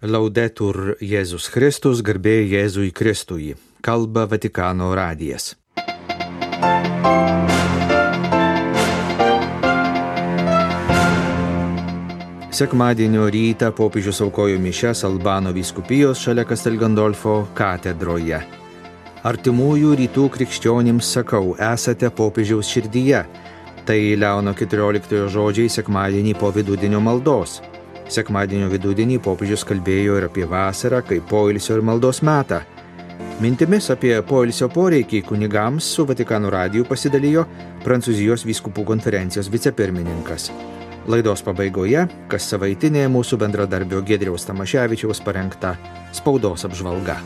Laudetur Jėzus Kristus, garbė Jėzui Kristui. Kalba Vatikano radijas. Sekmadienio rytą popiežius aukojo mišias Albano vyskupijos šalia Castel Gandolfo katedroje. Artimųjų rytų krikščionims sakau, esate popiežiaus širdyje. Tai Leono 14 žodžiai sekmadienį po vidudienio maldos. Sekmadienio vidudienį popiežius kalbėjo ir apie vasarą kaip poilsio ir maldos metą. Mintimis apie poilsio poreikį kunigams su Vatikano radiju pasidalijo Prancūzijos vyskupų konferencijos vicepirmininkas. Laidos pabaigoje, kas savaitinė mūsų bendradarbio Giedriaus Tamaševičiaus parengta spaudos apžvalga.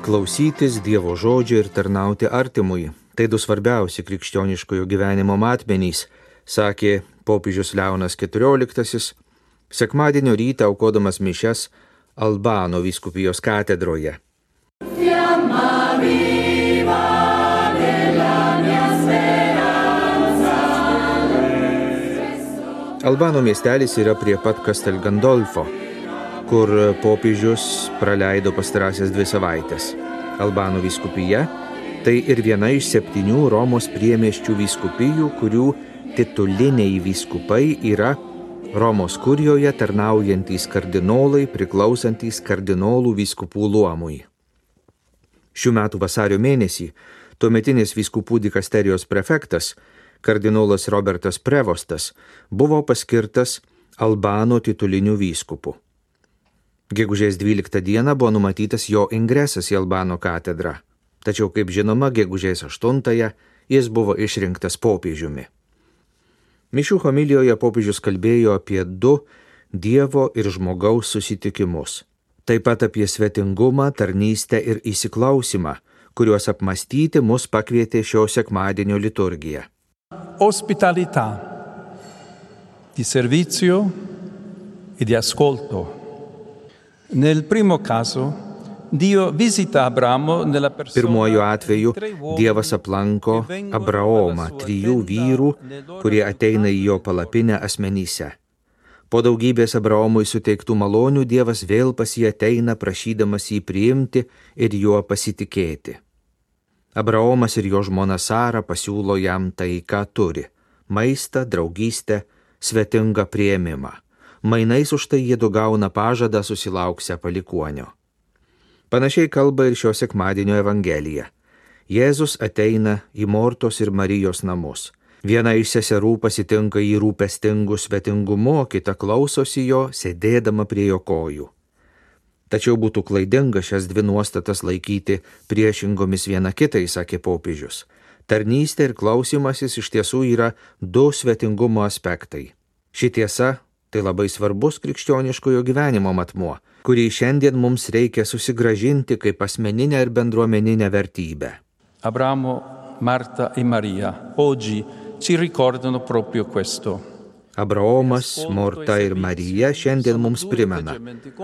Klausytis Dievo žodžio ir tarnauti artimui – tai du svarbiausi krikščioniškojo gyvenimo matmenys, sakė popiežius Leonas XIV, sekmadienio rytą aukodamas mišias Albano vyskupijos katedroje. Albano miestelis yra prie pat Castel Gandolfo, kur popiežius praleido pastarąsias 2 savaites. Albano vyskupija – tai ir viena iš 7 Romos priemiesčių vyskupijų, kurių tituliniai vyskupai yra Romos kurijoje tarnaujantys kardinolai priklausantys kardinolų vyskupų luomui. Šių metų vasario mėnesį tuometinis vyskupų dikasterijos prefektas, kardinolas Robertas Prevostas, buvo paskirtas Albano tituliniu vyskupu. Gegužės 12 dieną buvo numatytas jo ingresas į Albano katedrą, tačiau, kaip žinoma, gegužės 8 jis buvo išrinktas popiežiumi. Mišių homilijoje popiežius kalbėjo apie 2 Dievo ir žmogaus susitikimus. Taip pat apie svetingumą, tarnystę ir įsiklausimą, kuriuos apmąstyti mus pakvietė šio sekmadienio liturgija. Ospitalità, di servizio e di ascolto. Nel primo caso, Dio visita Abramo nella persona. Pirmuoju atveju Dievas aplanko Abraomą, 3 vyrų, kurie ateina į jo palapinę asmenyse. Po daugybės Abraomui suteiktų malonių Dievas vėl pas jį ateina, prašydamas jį priimti ir juo pasitikėti. Abraomas ir jo žmona Sara pasiūlo jam tai, ką turi – maistą, draugystę, svetingą priėmimą. Mainais už tai jie gauna pažadą susilauksią palikuonio. Panašiai kalba ir šio sekmadienio Evangelija. Jėzus ateina į Mortos ir Marijos namus. Viena iš seserų pasitinka jį rūpestingu svetingumu, kita klausosi jo, sėdėdama prie jo kojų. Tačiau būtų klaidinga šias 2 nuostatas laikyti priešingomis viena kitai, sakė popiežius. Tarnystė ir klausimasis iš tiesų yra 2 svetingumo aspektai. Ši tiesa tai labai svarbus krikščioniškojo gyvenimo matmuo, kurį šiandien mums reikia susigrąžinti kaip asmeninę ir bendruomeninę vertybę. Abramo, Marta e Maria oggi ci ricordano proprio questo. Abraomas, Morta ir Marija šiandien mums primena,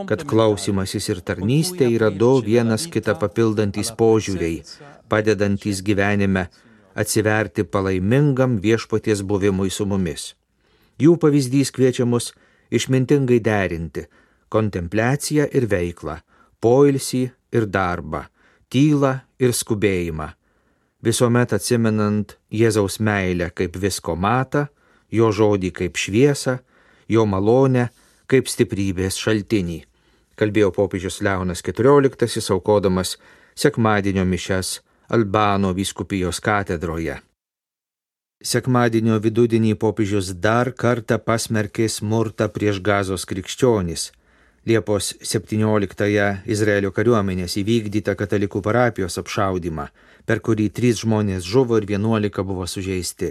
kad klausimasis ir tarnystė yra 2 vienas kitą papildantys požiūriai, padedantys gyvenime atsiverti palaimingam viešpaties buvimui su mumis. Jų pavyzdys kviečia mus išmintingai derinti kontempliaciją ir veiklą, poilsį ir darbą, tylą ir skubėjimą, visuomet atsimenant Jėzaus meilę kaip visko matą, jo žodį kaip šviesą, jo malonę kaip stiprybės šaltinį, kalbėjo popiežius Leonas XIV, aukodamas sekmadienio mišias Albano vyskupijos katedroje. Sekmadienio vidudienį popiežius dar kartą pasmerkė smurtą prieš Gazos krikščionis. Liepos 17-ąją Izraelio kariuomenės įvykdytą katalikų parapijos apšaudymą, per kurį 3 žmonės žuvo ir 11 buvo sužeisti.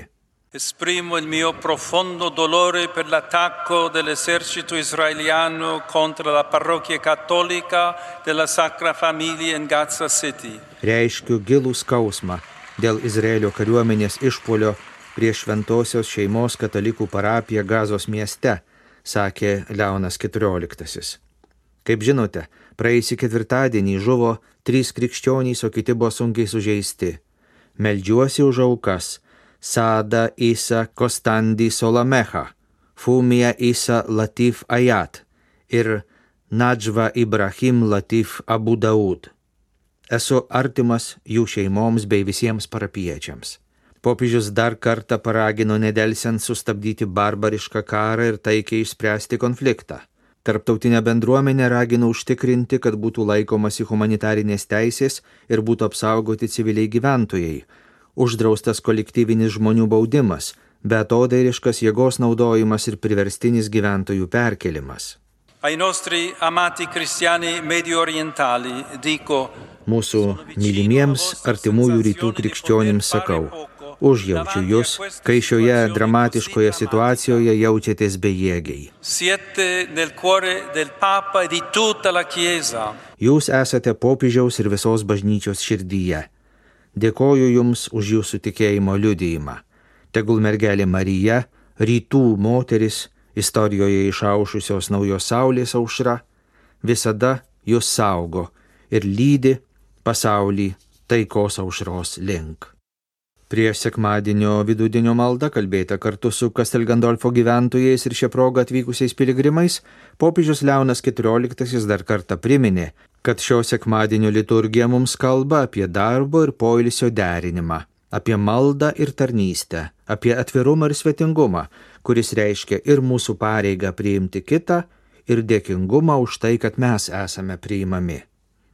Esprimo il mio profondo dolore per l'attacco dell'esercito israeliano contro la parrocchia cattolica della Sacra Famiglia in Gaza City. Reiškiu gilų skausmą dėl Izraelio kariuomenės išpuolio prieš Šventosios šeimos katalikų parapiją Gazos mieste, sakė Leonas XIV. Kaip žinote, praėjusį ketvirtadienį žuvo 3 krikščionys, o kiti buvo sunkiai sužeisti. Meldžiuosi už aukas Sada Isa Kostandi Solamecha, Fumia Isa Latif Ayat ir Nadžva Ibrahim Latif Abu Daud. Esu artimas jų šeimoms bei visiems parapiečiams. Popiežius dar kartą paragino nedelsiant sustabdyti barbarišką karą ir taikiai išspręsti konfliktą. Tarptautinė bendruomenė ragino užtikrinti, kad būtų laikomasi humanitarinės teisės ir būtų apsaugoti civiliai gyventojai, uždraustas kolektyvinis žmonių baudimas, beatodairiškas jėgos naudojimas ir priverstinis gyventojų perkelimas. Ai nostri amati cristiani medio orientali dico: Mūsų mylimiems artimųjų rytų krikščionims sakau, užjaučiu jūs, kai šioje dramatiškoje situacijoje jaučiatės bejėgiai. Siete nel cuore del Papa e di tutta la Chiesa. Jūs esate popiežiaus ir visos bažnyčios širdyje. Dėkoju jums už jūsų tikėjimo liudijimą. Tegul mergelė Marija, rytų moteris, istorijoje išaušusios naujos saulės aušra, visada jūs saugo ir lydi pasaulį taikos aušros link. Prieš sekmadienio vidudienio maldą kalbėta kartu su Castel Gandolfo gyventojais ir šią progą atvykusiais piligrimais, popiežius Leonas XIV dar kartą priminė, kad šio sekmadienio liturgija mums kalba apie darbo ir poilsio derinimą, apie maldą ir tarnystę, apie atvirumą ir svetingumą, kuris reiškia ir mūsų pareigą priimti kitą, ir dėkingumą už tai, kad mes esame priimami.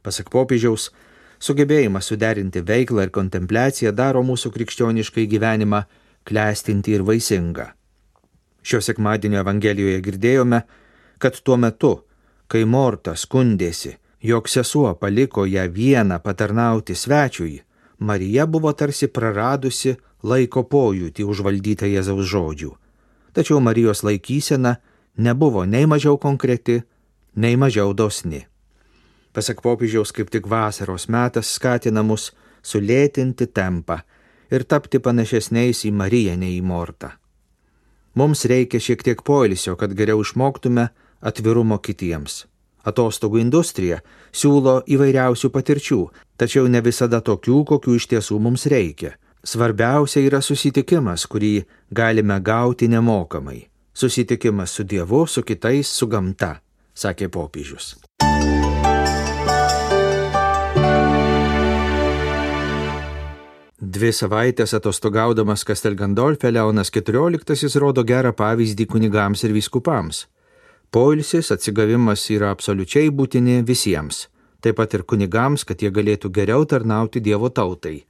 Pasak popiežiaus, sugebėjimas suderinti veiklą ir kontempliaciją daro mūsų krikščioniškai gyvenimą klestinti ir vaisingą. Šio sekmadienio Evangelijoje girdėjome, kad tuo metu, kai Morta skundėsi, jog sesuo paliko ją vieną patarnauti svečiui, Marija buvo tarsi praradusi laiko pojūtį užvaldytą Jėzaus žodžių. Tačiau Marijos laikysena nebuvo nei mažiau konkreti, nei mažiau dosni. Pasak popiežiaus, kaip tik vasaros metas skatina mus sulėtinti tempą ir tapti panašesniais į Mariją nei į Mortą. Mums reikia šiek tiek poilsio, kad geriau išmoktume atvirumo kitiems. Atostogų industrija siūlo įvairiausių patirčių, tačiau ne visada tokių, kokių iš tiesų mums reikia. Svarbiausia yra susitikimas, kurį galime gauti nemokamai. Susitikimas su Dievu, su kitais, su gamta, sakė popiežius. Dvi savaitės atostogaudamas Castel Gandolfe Leonas XIV rodo gerą pavyzdį kunigams ir vyskupams. Poilsis, atsigavimas yra absoliučiai būtini visiems, taip pat ir kunigams, kad jie galėtų geriau tarnauti Dievo tautai.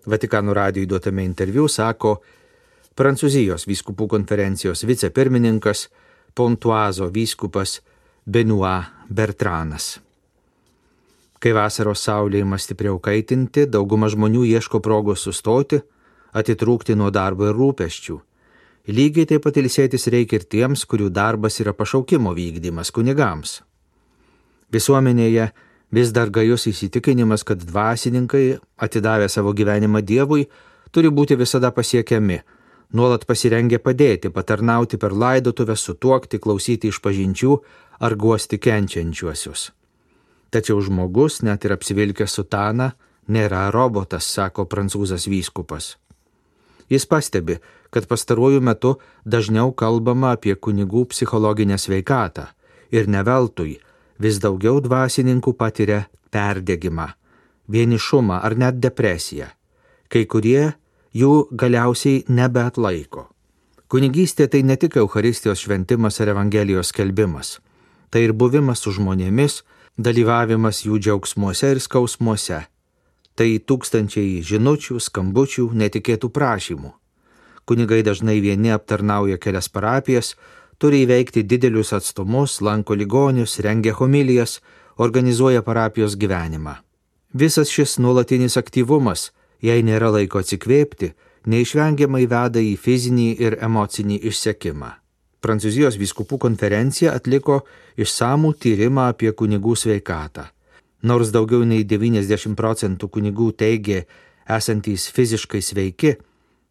Vatikano radijui duotame interviu sako Prancūzijos vyskupų konferencijos vicepirmininkas, Pontuazo vyskupas Benoit Bertranas. Kai vasaros saulė ima stipriau kaitinti, dauguma žmonių ieško progos sustoti, atitrūkti nuo darbo ir rūpesčių. Lygiai taip pat ilsėtis reikia ir tiems, kurių darbas yra pašaukimo vykdymas kunigams. Visuomenėje vis dar gajus įsitikinimas, kad dvasininkai, atidavę savo gyvenimą Dievui, turi būti visada pasiekiami, nuolat pasirengę padėti, patarnauti per laidotuvę, sutuokti, klausyti išpažinčių ar guosti kenčiančiuosius. Tačiau žmogus, net ir apsivilkęs sutaną, nėra robotas, sako prancūzas vyskupas. Jis pastebi, kad pastaruoju metu dažniau kalbama apie kunigų psichologinę sveikatą ir ne veltui vis daugiau dvasininkų patiria perdegimą, vienišumą ar net depresiją. Kai kurie jų galiausiai nebeatlaiko. Kunigystė tai ne tik Eucharistijos šventimas ar Evangelijos skelbimas. Tai ir buvimas su žmonėmis, dalyvavimas jų džiaugsmuose ir skausmuose. Tai tūkstančiai žinučių, skambučių, netikėtų prašymų. Kunigai dažnai vieni aptarnauja kelias parapijas, turi įveikti didelius atstumus, lanko ligonius, rengia homilijas, organizuoja parapijos gyvenimą. Visas šis nuolatinis aktyvumas, jei nėra laiko atsikvėpti, neišvengiamai veda į fizinį ir emocinį išsekimą. Prancūzijos vyskupų konferencija atliko išsamų tyrimą apie kunigų sveikatą. Nors daugiau nei 90% kunigų teigė esantys fiziškai sveiki,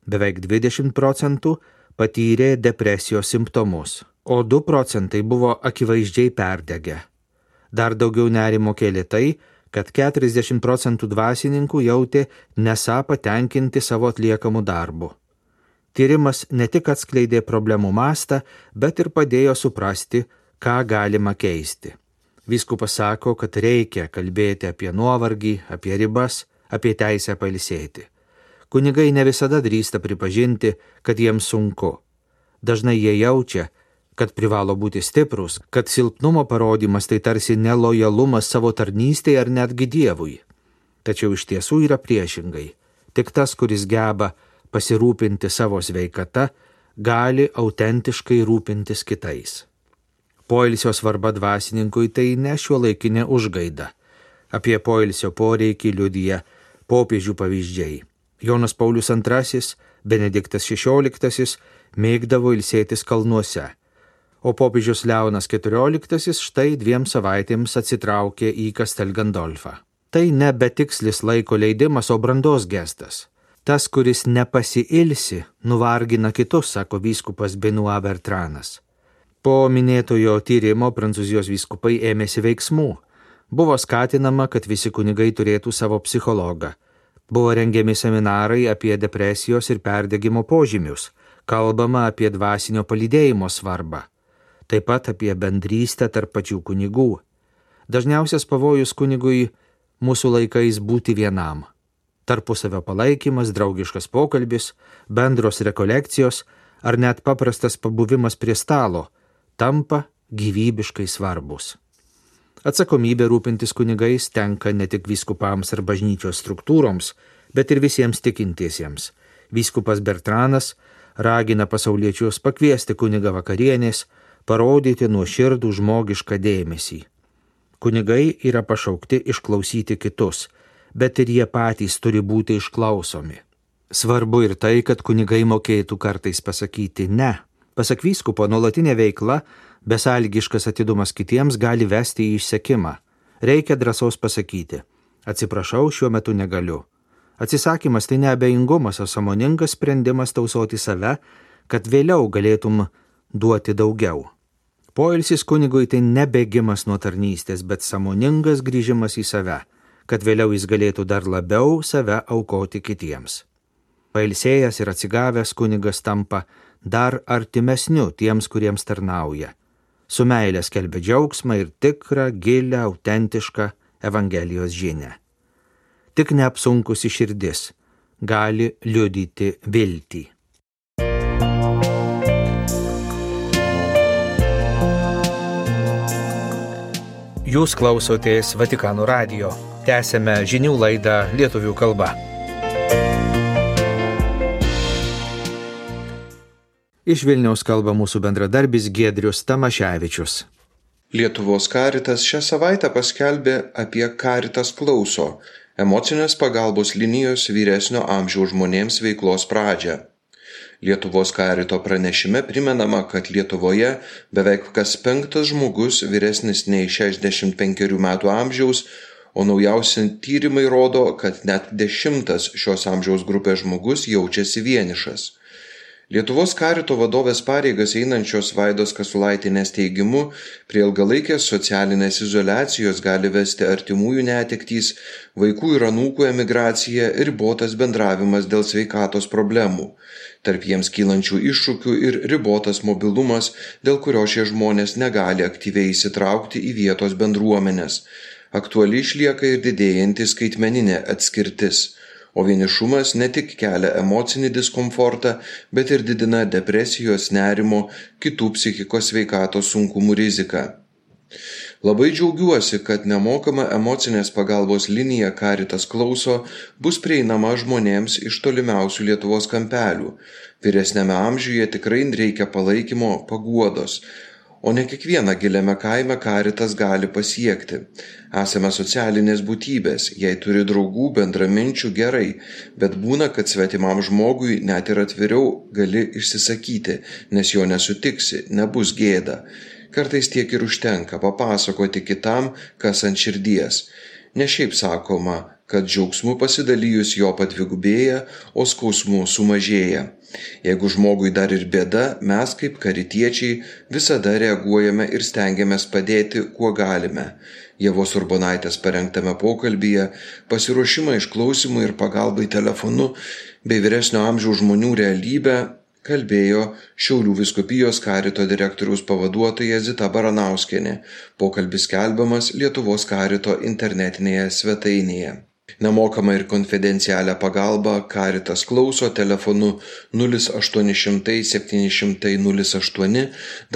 beveik 20% patyrė depresijos simptomus, o 2% buvo akivaizdžiai perdegę. Dar daugiau nerimo kėlė tai, kad 40% dvasininkų jautė nesą patenkinti savo atliekamų darbų. Tyrimas ne tik atskleidė problemų mastą, bet ir padėjo suprasti, ką galima keisti. Vyskupas sako, kad reikia kalbėti apie nuovargį, apie ribas, apie teisę pailsėti. Kunigai ne visada drįsta pripažinti, kad jiems sunku. Dažnai jie jaučia, kad privalo būti stiprus, kad silpnumo parodymas tai tarsi nelojalumas savo tarnystėje ar netgi Dievui. Tačiau iš tiesų yra priešingai. Tik tas, kuris geba pasirūpinti savo sveikata, gali autentiškai rūpintis kitais. Poilsio svarba dvasininkui tai ne šiuolaikinė užgaida. Apie poilsio poreikį liudija popiežių pavyzdžiai. Jonas Paulius II, Benediktas XVI mėgdavo ilsėtis kalnuose, o popiežius Leonas XIV štai 2 savaitėms atsitraukė į Castel Gandolfą. Tai ne betikslis laiko leidimas, o brandos gestas. Tas, kuris nepasiilsi, nuvargina kitus, sako vyskupas Benoît Bertranas. Po minėtojo tyrimo Prancūzijos vyskupai ėmėsi veiksmų. Buvo skatinama, kad visi kunigai turėtų savo psichologą. Buvo rengiami seminarai apie depresijos ir perdegimo požymius. Kalbama apie dvasinio palydėjimo svarbą. Taip pat apie bendrystę tarp pačių kunigų. Dažniausias pavojus kunigui mūsų laikais būti vienam. Tarpusavio palaikymas, draugiškas pokalbis, bendros rekolekcijos ar net paprastas pabuvimas prie stalo tampa gyvybiškai svarbus. Atsakomybė rūpintis kunigais tenka ne tik vyskupams ar bažnyčios struktūroms, bet ir visiems tikintiesiems. Vyskupas Bertranas ragina pasauliečius pakviesti kunigą vakarienės, parodyti nuoširdų žmogišką dėmesį. Kunigai yra pašaukti išklausyti kitus, bet ir jie patys turi būti išklausomi. Svarbu ir tai, kad kunigai mokėtų kartais pasakyti ne. Pasak vyskupo, nuolatinė veikla, besąlygiškas atidumas kitiems gali vesti į išsekimą. Reikia drąsos pasakyti: atsiprašau, šiuo metu negaliu. Atsisakymas tai neabejingumas, o sąmoningas sprendimas tausoti save, kad vėliau galėtum duoti daugiau. Poilsis kunigui tai ne bėgimas nuo tarnystės, bet sąmoningas grįžimas į save, kad vėliau jis galėtų dar labiau save aukoti kitiems. Pailsėjęs ir atsigavęs kunigas tampa dar artimesniu tiems, kuriems tarnauja. Su meile skelbia džiaugsmą ir tikrą, gilią, autentišką Evangelijos žinią. Tik neapsunkusi širdis gali liudyti viltį. Jūs klausotės Vatikano radijo. Tęsiame žinių laidą lietuvių kalba. Iš Vilniaus kalba mūsų bendradarbis Giedrius Tamaševičius. Lietuvos Caritas šią savaitę paskelbė apie Caritas klauso, emocinės pagalbos linijos vyresnio amžiaus žmonėms veiklos pradžią. Lietuvos Carito pranešime primenama, kad Lietuvoje beveik kas 5 žmogus vyresnis nei 65 metų amžiaus, o naujausi tyrimai rodo, kad net 10 šios amžiaus grupės žmogus jaučiasi vienišas. Lietuvos Carito vadovės pareigas einančios Vaidos Kasulaitienės teigimu, prie ilgalaikės socialinės izoliacijos gali vesti artimųjų netektys, vaikų ir anūkų emigracija ir ribotas bendravimas dėl sveikatos problemų. Tarp jiems kylančių iššūkių ir ribotas mobilumas, dėl kurio šie žmonės negali aktyviai įsitraukti į vietos bendruomenės. Aktuali išlieka ir didėjanti skaitmeninė atskirtis. O vienišumas ne tik kelia emocinį diskomfortą, bet ir didina depresijos, nerimo, kitų psichikos sveikatos sunkumų riziką. Labai džiaugiuosi, kad nemokama emocinės pagalbos linija Caritas klauso bus prieinama žmonėms iš tolimiausių Lietuvos kampelių. Vyresniame amžiuje tikrai reikia palaikymo, paguodos. O ne kiekvieną giliame kaime Caritas gali pasiekti. Esame socialinės būtybės, jei turi draugų, bendraminčių gerai, bet būna, kad svetimam žmogui net ir atviriau gali išsisakyti, nes jo nesutiksi, nebus gėda. Kartais tiek ir užtenka papasakoti kitam, kas ant širdies. Ne šiaip sakoma, kad džiaugsmu pasidalijus jo padvigubėja, o skausmu sumažėja. Jeigu žmogui dar ir bėda, mes kaip karitiečiai visada reaguojame ir stengiamės padėti, kuo galime. Ievos Urbonaitės parengtame pokalbyje pasiruošimą išklausimui ir pagalbai telefonu bei vyresnio amžiaus žmonių realybę kalbėjo Šiaulių vyskupijos karito direktoriaus pavaduotoja Zita Baranauskienė. Pokalbis skelbiamas Lietuvos karito internetinėje svetainėje. Nemokamą ir konfidencialią pagalbą Karitas klauso telefonu 0800 700 08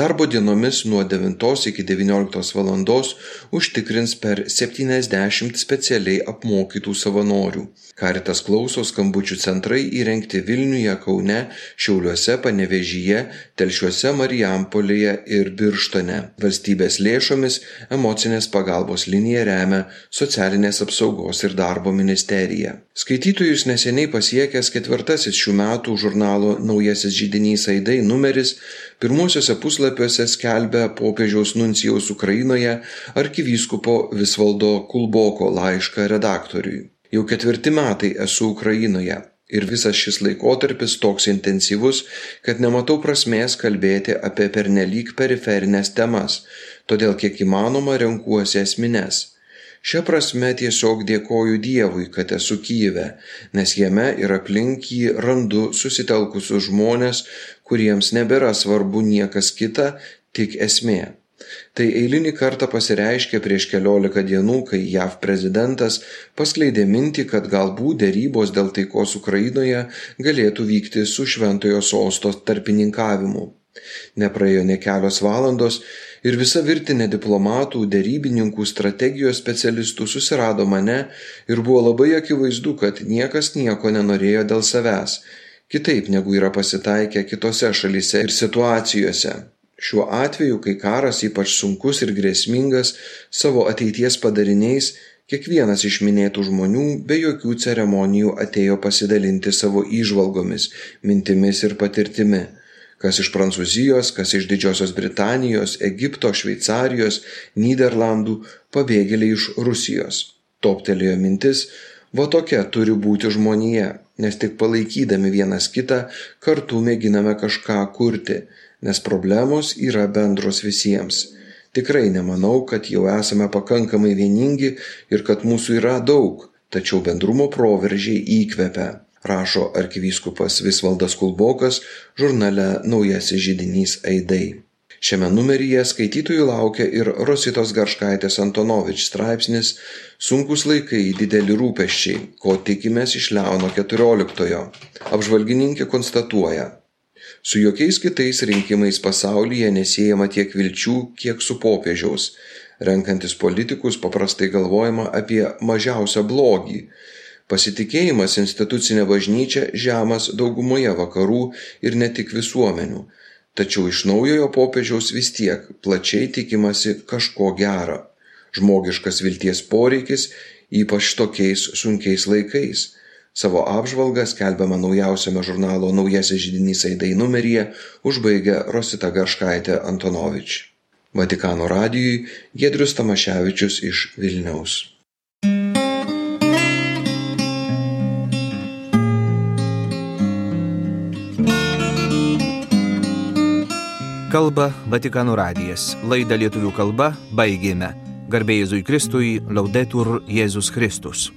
darbo dienomis nuo 9 iki 19 valandos užtikrins per 70 specialiai apmokytų savanorių. Karitas klauso skambučių centrai įrengti Vilniuje, Kaune, Šiauliuose, Panevėžyje, Telšiuose, Marijampolėje ir Birštone. Valstybės lėšomis emocinės pagalbos liniją remia Socialinės apsaugos ir darbo ministerija. Skaitytojus neseniai pasiekęs 4 šių metų žurnalo Naujasis židinys Aidai numeris pirmuosiuose puslapiuose skelbia popiežiaus nuncijaus Ukrainoje arkivyskupo Visvaldo Kulboko laišką redaktoriui. Jau 4 metai esu Ukrainoje ir visas šis laikotarpis toks intensyvus, kad nematau prasmės kalbėti apie pernelyg periferinės temas, todėl kiek įmanoma renkuosi esmines. Šia prasme tiesiog dėkoju Dievui, kad esu Kyjive, nes jame ir aplink jį randu susitelkusius žmonės, kuriems nebėra svarbu niekas kita, tik esmė. Tai eilinį kartą pasireiškė prieš keliolika dienų, kai JAV prezidentas paskleidė mintį, kad galbūt derybos dėl taikos Ukrainoje galėtų vykti su Šventojo Sosto tarpininkavimu. Nepraėjo nė kelios valandos ir visa virtinė diplomatų, derybininkų, strategijos specialistų susirado mane ir buvo labai akivaizdu, kad niekas nieko nenorėjo dėl savęs, kitaip negu yra pasitaikę kitose šalyse ir situacijose. Šiuo atveju, kai karas ypač sunkus ir grėsmingas savo ateities padariniais, kiekvienas iš minėtų žmonių be jokių ceremonijų atėjo pasidalinti savo įžvalgomis, mintimis ir patirtimi. Kas iš Prancūzijos, kas iš Didžiosios Britanijos, Egipto, Šveicarijos, Nyderlandų, pabėgėliai iš Rusijos. Toptelėjo mintis, va tokia turi būti žmonija, nes tik palaikydami vienas kitą kartu mėginame kažką kurti, nes problemos yra bendros visiems. Tikrai nemanau, kad jau esame pakankamai vieningi ir kad mūsų yra daug, tačiau bendrumo proveržiai įkvepia, rašo arkivyskupas Visvaldas Kulbokas žurnale Naujasis židinys Aidai. Šiame numeryje skaitytojų laukia ir Rositos Garškaitės Antonovič straipsnis Sunkūs laikai, dideli rūpesčiai, ko tikimės iš Leono XIV. Apžvalgininkė konstatuoja, su jokiais kitais rinkimais pasaulyje nesiejama tiek vilčių, kiek su popiežiaus. Renkantis politikus paprastai galvojama apie mažiausią blogį. Pasitikėjimas institucinė bažnyčia žemas daugumoje vakarų ir ne tik visuomenių. Tačiau iš naujojo popiežiaus vis tiek plačiai tikimasi kažko gero. Žmogiškas vilties poreikis, ypač tokiais sunkiais laikais. Savo apžvalgą skelbiamą naujausiame žurnalo Naujasis židinys Aidai numeryje užbaigia Rosita Garškaitė Antonovič. Vatikano radijui Giedrius Tamaševičius iš Vilniaus. Kalba Vatikano radijas. Laidą lietuvių kalba baigėme. Garbė Jėzui Kristui, Laudetur Jėzus Kristus.